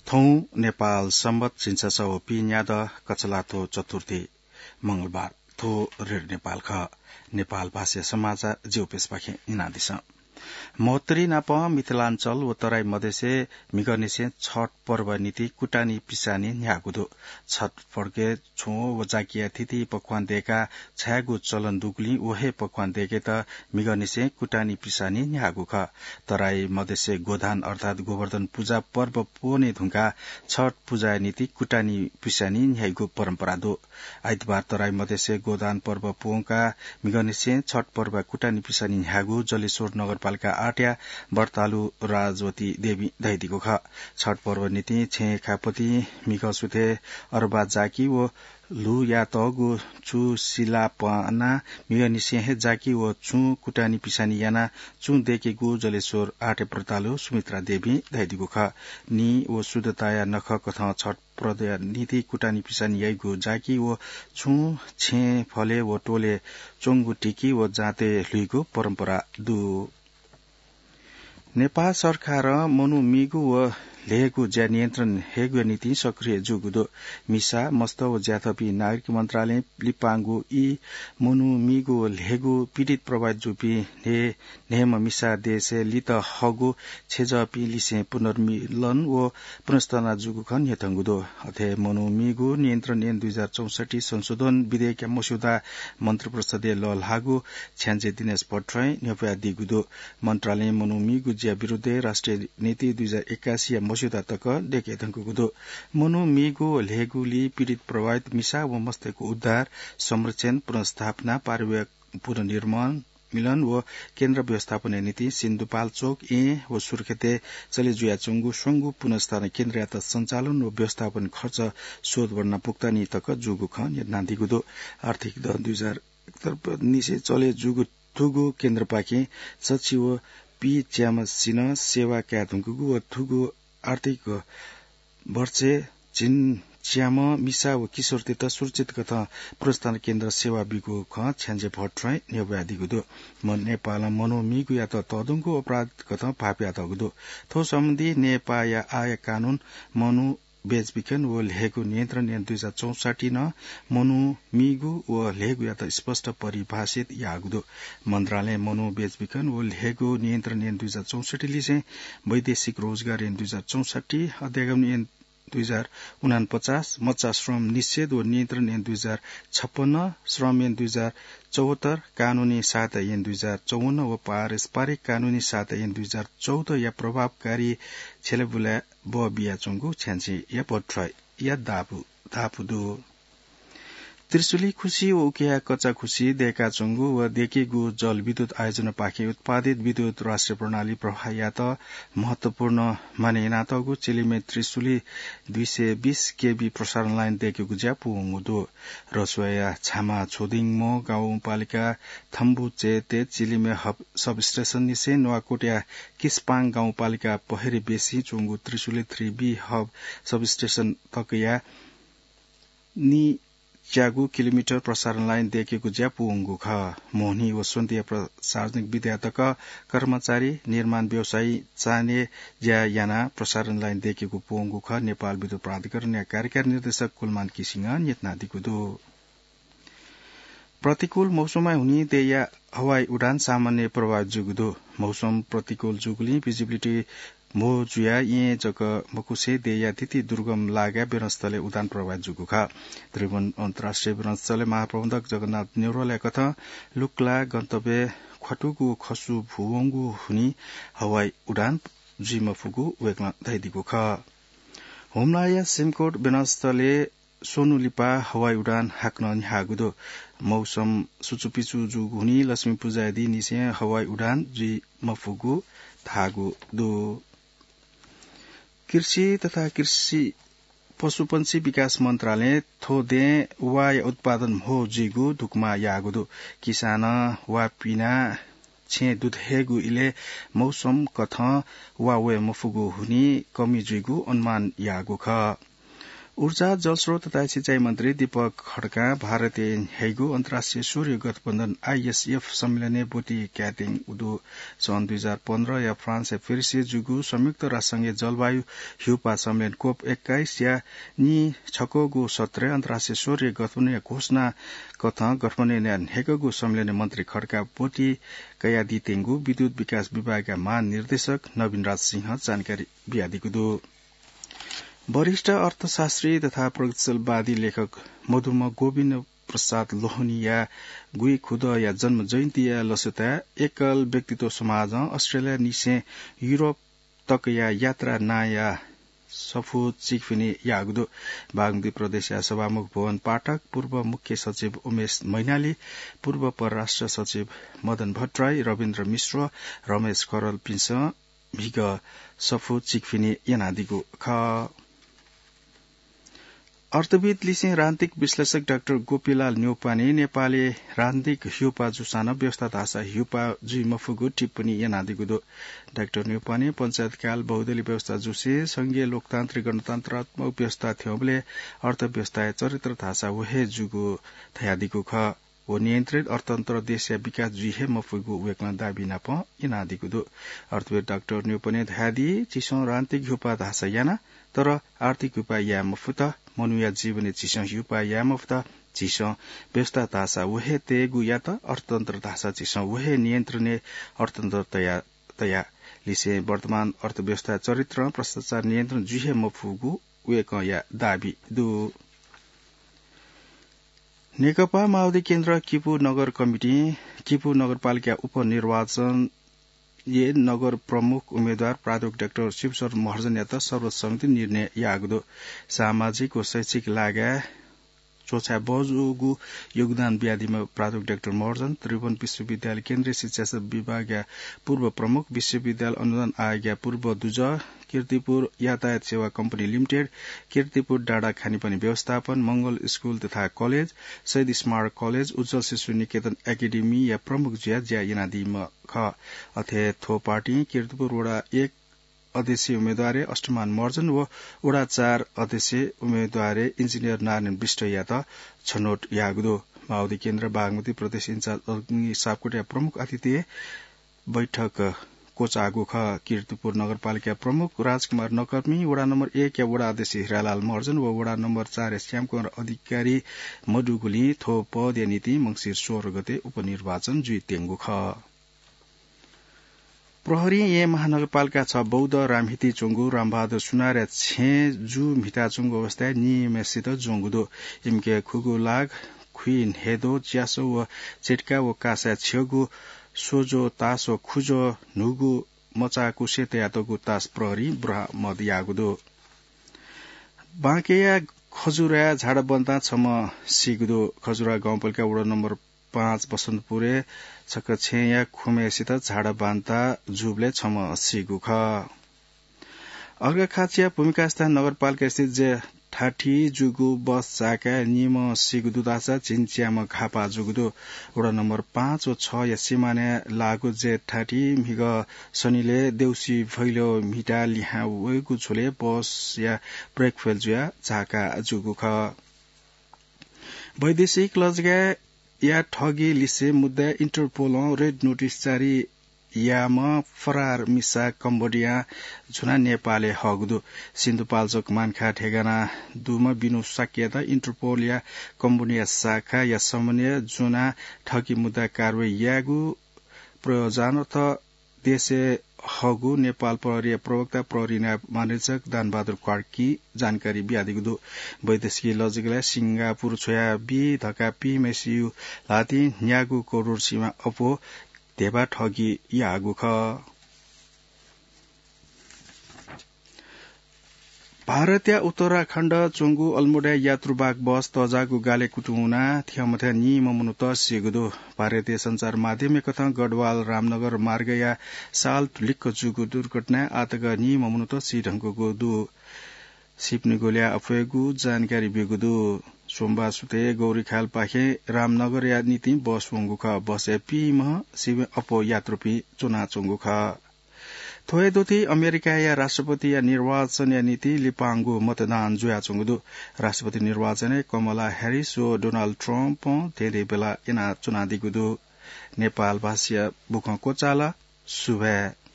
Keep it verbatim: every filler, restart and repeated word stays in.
थौं नेपाल संवत झिंछसः व पीन्यादँ कछलाथ्व चतुर्थी मंगलबार। थ्व रेडियो नेपाल खः। नेपाल भाषा समाचार ज्यू पेसपाखें न्यनादिसँ। महोत्तरी नाप मिथिलाञ्चल व तराई मधेसय् म्हिगःनिसें छठ पर्व निंतिं कुटानी पिसानी न्ह्याःगु दु। छठ पर्वय् छुं व जाकिया थीथी पकवान दय्काः छायेगु चलन दुगुलिं व हे पकवान दय्केत म्हिगःनिसें कुटानी पिसानी न्ह्याःगु खः। तराई मधेसय् गोधान अर्थात् गोवर्धन पुजा पर्व पूवने धुंकाः छठ पुजाया निंतिं कुटानी पिसानी न्ह्याइगु परम्परा दु। आइतबार तराई मधेसय् गोधान पर्व पूवंकाः म्हिगःनिसें छठ पर्वया कुटानी पिसानी न्ह्याःगु जलेश्वर नगरपालिका आठया व्रतालु राजवती देवीं धयादीगु खः। छठ पर्व निंतिं छेँ खापतिं म्हिगः सुथय् अरबा जाकि व ल्हुयातःगु चु सिलापानाः म्हिगःनिसें हे जाकि व चुं कुटानी पिसानी यानाः चुं दय्केगु जलेश्वर आठया व्रतालु सुमित्रा देवीं धयादीगु खः। निं व शुद्धताया नखःकथं छठ पर्वया निंतिं कुटानी पिसानी याइगु जाकि व चुं छेँ फलय् व टोलय् च्वंगु ढिकि व जाँतय् ल्हुइगु परम्परा दु। नेपाल सरकारं मनू मीगु व ल्हेगु ज्या नियन्त्रण हयेगुया निंतिं सक्रिय जूगु दु। मिसा, मस्त व ज्याथःपिं नागरिक मन्त्रालयं लिपांगु ई मनू मीगु व ल्हेगु पीडित प्रभावित जूपिं न्हय् न्हय्म्ह मिसा देशय् लित हःगु छेँजःपिं लिसें पुनर्मिलन व पुनर्स्थापना जूगु खँ न्ह्यथंगु दु। अथे मनू मीगु नियन्त्रण ऐन दुई हजार चौसट्ठी संशोधन विधेयकया मस्यौदा मन्त्रिपरिषदय् लःल्हाःगु छ्याञ्जे दिनेश भट्टराईं न्ह्यब्वयादीगु दु। मन्त्रालयं मनू मीगु ज्या विरुद्धय् राष्ट्रिय नीति दुई हजार एकासीया मस्यौदा तक दय्के धुंकूगु दु। मनू मीगु व ल्हेगुलिं पीडित प्रभावित मिसा व मस्तय्गु उद्धार, संरक्षण, पुनर्स्थापना, पारिवारिक पुनर्निर्माण, मिलन व केन्द्र व्यवस्थापनया निंतिं सिन्धुपाल्चोक, येँ व सुर्खेतय् चले जुयाच्वंगु स्वंगू पुनर्स्थापना केन्द्रयात सञ्चालन व व्यवस्थापन खर्च शोधवर्णा भुक्तानी तक जूगु खँ न्ह्यथनादीगु दु। आर्थिक दँ दुई हजार एकहत्तर निसें चले जूगु थुगु केन्द्रपाखें सछि व पीच्याम्हसिनं सेवा काये धुंकूगु व थुगु आर्थिक वर्षय् झिंच्याम्ह मिसा व किशोरतय्त सुरक्षित कथं पुनर्स्थापना केन्द्र सेवा बीगु खँ छ्याञ्जे भट्टराईं न्ह्यब्वयादीगु दु। म-, नेपालं मनू मीगुयात तःधंगु अपराध कथं भाःपियातःगु दु। थ्व सम्बन्धी नेपाःया आःया कानून मनू बेचबिखन व ल्हेगु नियन्त्रण ऐन दुई हजार चौसट्ठी नं मनू मीगु व ल्हेगुयात स्पष्ट परिभाषित याःगु दु। मन्त्रालयं मनू बेचबिखन व ल्हेगु नियन्त्रण ऐन दुई हजार चौसट्ठी लिसें वैदेशिक रोजगार ऐन दुई हजार चौसट्ठी, अध्यागमन ऐन दुई हजार उनापचास, मचा श्रम निषेध व नियन्त्रण ऐन दुई हजार छप्पन्न, श्रम ऐन दुई हजार चौहत्तर, कानूनी सहायता ऐन दुई हजार चौवन्न व पारस्परिक कानूनी सहायता ऐन दुई हजार चौधया प्रभावकारी छ्यलेबुलाय् बः बियाच्वंगु छ्याञ्जेया भट्टराईया धापू, धापू दु। त्रिशुली खुसी व उकिया कच्चा खुसी दय्काच्वंगु व दय्केगु जलविद्युत आयोजनापाखें उत्पादित विद्युत राष्ट्रिय प्रणाली प्रवाह यायेत महत्वपूर्ण माने यानातःगु चिलिमय् त्रिशुली दुई सय बीस केभी प्रसारण लाइन दय्केगु ज्या पूवंगु दु। रसुवाया छामा छोदिङमो गाउँपालिका थम्बुचेते चिलिमय् हब सबस्टेसन निसें नुवाकोटया किस्पाङ गाउँपालिका पहेरे बेसी च्वंगु Trishuli three B hub substation तकया नीच्यागू किलोमिटर प्रसारण लाइन दय्केगु ज्या पूवंगु खः। मोहनी व स्वन्तिया प्रशासनिक विद्या तक कर्मचारी, निर्माण व्यवसायी चान्हय् ज्या यानाः प्रसारण लाइन दय्केगु पूवंगु खँ नेपाल विद्युत प्राधिकरणया कार्यकारी निर्देशक कुलमान किसिङं न्ह्यथनादीगु दु। प्रतिकूल मौसमया हुनिं देय्या हवाई उडान सामान्य प्रभावित जूगु दु। मौसम प्रतिकूल जूगुलिं visibility म्हो जुयाः येँ जक मखुसें देय्या थीथी दुर्गम लागाय् विमानस्थलय् उडान प्रभावित जूगु खः। त्रिभुवन अन्तर्राष्ट्रिय विमानस्थलय् महाप्रबन्धक जगन्नाथ नेउरालया कथं लुक्ला गन्तव्य ख्वातुगु खसु भूवंगु हुनिं हवाई उडान जुइ मफुगु वय्कलं धयादीगु खः। हुम्लाया सिमकोट विमानस्थलय् स्वन्हु लिपा हवाई उडान हाकनं न्ह्याःगु दु। मौसम सुचुपिचु जूगु हुनिं लक्ष्मी पुजाया दिं निसें हवाई उडान जुइ मफुगु धाःगु दु। कृषि तथा कृषि पशुपंक्षी विकास मन्त्रालयं थ्व दँय् वाया उत्पादन म्हो जुइगु धुकुमा याःगु दु। किसानं वा पिनाः छेँ दुथ्यायेगु इलय् मौसम कथं वा वये मफुगु हुनिं कमी जुइगु अनुमान याःगु खः। ऊर्जा, जलस्रोत तथा सिँचाइ मन्त्री दीपक खड्कां भारतय् न्ह्याइगु अन्तर्राष्ट्रिय सौर्य गठबन्धन, आइएसएफ, सम्मेलनय् ब्वति कायेत्यंगु दु। सन् दुई हजार पन्ध्र या फ्रान्सय् पेरिसय् जूगु संयुक्त राष्ट्रसंघया जलवायु ह्यूपाः सम्मेलन कोप एक्काइस या नीछक्वःगु सत्रय् अन्तर्राष्ट्रिय सौर्य गठबन्धनया घोषणा कथं गठबन्धनया न्ह्याइगु सम्मेलनय् मन्त्री खड्कां ब्वति कयादीत्यंगु विद्युत विकास विभागया महानिर्देशक नवीन राज सिंहं जानकारी बियादीगु दु। वरिष्ठ अर्थशास्त्री तथा प्रगतिशीलवादी लेखक मधुम्ह गोविन्द प्रसाद लोहनीया गुइखुदँया जन्म जयन्तीया लसताय् एकल व्यक्तित्व समाजं अस्ट्रेलियानिसें युरोप तकया यात्रा नांया सफू चिकफिनि याःगु दु। बागमती प्रदेशया सभामुख भुवन पाठक, पूर्व मुख्य सचिव उमेश मैनाली, पूर्व परराष्ट्र सचिव मदन भट्टराई, रविन्द्र मिश्र, रमेश खरेलपिन्सं म्हिगः सफू चिकफिनि यानादीगु खः। अर्थविद् लिसें राजनीतिक विश्लेषक डाक्टर गोपीलाल न्यौपाने नेपालय् राजनीतिक ह्यूपाः जूसां नं व्यवस्था धाःसा ह्यूपाः जुइ मफुगु टिप्पणी यानादीगु दु। डाक्टर न्यौपाने पञ्चायतकाल बहुदलीय व्यवस्था जूसें संघीय लोकतान्त्रिक गणतन्त्रात्मक व्यवस्था थ्यंबलय् अर्थव्यवस्थाया चरित्र धाःसा व हे जूगु धयादीगु खः। व नियन्त्रित अर्थतन्त्र देशया विकास जुइ हे मफुगु वय्कलं दाबी नाप यानादीगु दु। अर्थविद् डाक्टर न्यौपाने धयादी, झीसं राजनीतिक ह्यूपाः धाःसा याना, तर आर्थिक ह्यूपाः याये मफुत। मनूया जीवनय् झीसं ह्यूपाः याये मफुत। झीसं व्यवस्था धाःसा व हे तयेगु यात, अर्थतन्त्र धाःसा झीसं व हे नियन्त्रणय् अर्थतन्त्र तया, तया। लिसें वर्तमान अर्थव्यवस्था चरित्रं भ्रष्टाचार नियन्त्रण जुइ हे मफुगु वय्कःया दाबी दु। नेकपा माओवादी केन्द्र किपू नगर कमिटिं किपू नगरपालिका उपनिर्वाचनय् नगर प्रमुख उम्मेद्वार प्राध्यापक डाक्टर शिवशरण महर्जनयात सर्वसम्मति निर्णय याःगु दु। सामाजिक व शैक्षिक लागाय् च्वछाये बहःजूगु योगदान बियादीम्ह प्राध्यापक डाक्टर महर्जन त्रिभुवन विश्वविद्यालय केन्द्रीय शिक्षा विभागया पूर्व प्रमुख, विश्वविद्यालय अनुदान आयोगया पूर्व दुजः, कीर्तिपुर यातायात सेवा कम्पनी लिमिटेड, कीर्तिपुर डाँडा खानेपानी व्यवस्थापन, मंगल स्कूल तथा कलेज, शहीद स्मारक कलेज, उज्ज्वल शिशु निकेतन एकेडेमीया प्रमुख जुयाः ज्या यानादीम्ह खः। अथे थ्व पार्टीं कीर्तिपुर वडा एक अध्यक्ष उम्मेद्वारय् अष्टमान महर्जन व वडा चार अध्यक्ष उम्मेद्वारय् इन्जिनियर नारायण विष्टयात छनौट याःगु दु। माओवादी केन्द्र बागमती प्रदेश इन्चार्ज अग्नि सापकोटाया प्रमुख आतिथ्यय् बैठक क्वचाःगु खः। कीर्तिपुर नगरपालिका प्रमुख राजकुमार नकर्मी, वडा नम्बर एक या वडा अध्यक्ष हिरालाल महर्जन व वडा नम्बर चार या श्यामकुमार अधिकारी मदुगुलिं थ्व पदया निंतिं मंसिर सोह्र गते उपनिर्वाचन जुइत्यंगु खः। प्रहरीं येँ महानगरपालिका छ बौद्ध रामहिति च्वंगु रामबहादुर सुनारया छेँय् जू म्हिताच्वंगु अवस्थाय् निम्हय्सित ज्वंगु दु। इमिके खुगू लाख, खुइन्हय्द्वः, च्यासः व चिट्का व कासाय् छ्यःगु स्वज्वः, तास व खुज्वः, न्हूगु मचाकुसे तयातःगु तास प्रहरीं बरामद याःगु दु। बाँकेया खजुराय् झाडा बान्तां छम्ह सीगु दु। खजुरा गाउँपालिका वडा नम्बर पाँच बसन्तपुरय् छकः छेँया खुम्हय्सित झाडा बान्तां जूबलय् छम्ह सीगु खः। अर्घाखाँचिया भूमिकास्थान नगरपालिकास्थित जेठाठी जूगु बस झाकाय् निम्ह सीगु दु धाःसा झिंच्याम्ह घाःपाः जूगु दु। वडा नम्बर पाँच व छया सिमानाय् लाःगु जेठाठी म्हिगः सनिलय् देउसी भैलो म्हिता लिहां वयेगु झ्वलय् बसया ब्रेक फेल जुयाः झाःकाः जूगु खः। वैदेशिक लजगाय् या ठगी लिसे मुद्दाय् इन्टरपोलं रेड नोटिस जारी याःम्ह फरार मिसा कम्बोडियां झुनाः नेपालय् हःगु दु। सिन्धुपाल्चोक मानखा ठेगाना दुम्ह बिनु शाक्ययात इन्टरपोलया कम्बोडिया शाखाया समन्वयय् ज्वनाः ठगी मुद्दा कारवाही यायेगु प्रयोजनार्थ देशय् हःगु नेपाल प्रहरीया प्रवक्ता प्रहरी नायब महानिरीक्षक दानबहादुर कार्कीं जानकारी बियादीगु दु। वैदेशिक लजगालय् सिंगापुर छ्वयाबी धकाः पीम्हय्सिगु ल्हातिं न्यागू करोड सिमा अप्वः धेबा ठगी याःगु खः। भारतया उत्तराखण्ड च्वंगु अल्मोडाय् यात्रुवाहक बस तःजाःगु गालय् कुतुं वनाः थ्यंमथ्यं निम्ह मनूत सीगु दु। भारतीय सञ्चार माध्यमय् कथं गढवाल रामनगर मार्गया साल लिक्क जूगु दुर्घटनाय् आःतक निम्ह मनूत सी धुंकूगु दु। सीपिनिगु ल्याः अप्वयेगु जानकारी ब्यूगु दु। सोमबार सुथय् गौरीखालपाखें रामनगरया निंतिं बस वंगु खः। बसय् पीम्ह सिबें अप्वः यात्रुपिं च्वनाच्वंगु खः। थ्व हे दथुइ अमेरिकाया राष्ट्रपतिया निर्वाचनया निंतिं लिपांगु मतदान जुयाच्वंगु दु। राष्ट्रपति निर्वाचनय् कमला ह्यारिस व डोनाल्ड ट्रम्पं धेंधेंबेला यानाच्वनादीगु दु। नेपाल भाषाया बुखँ क्वचाल। सुभाय्।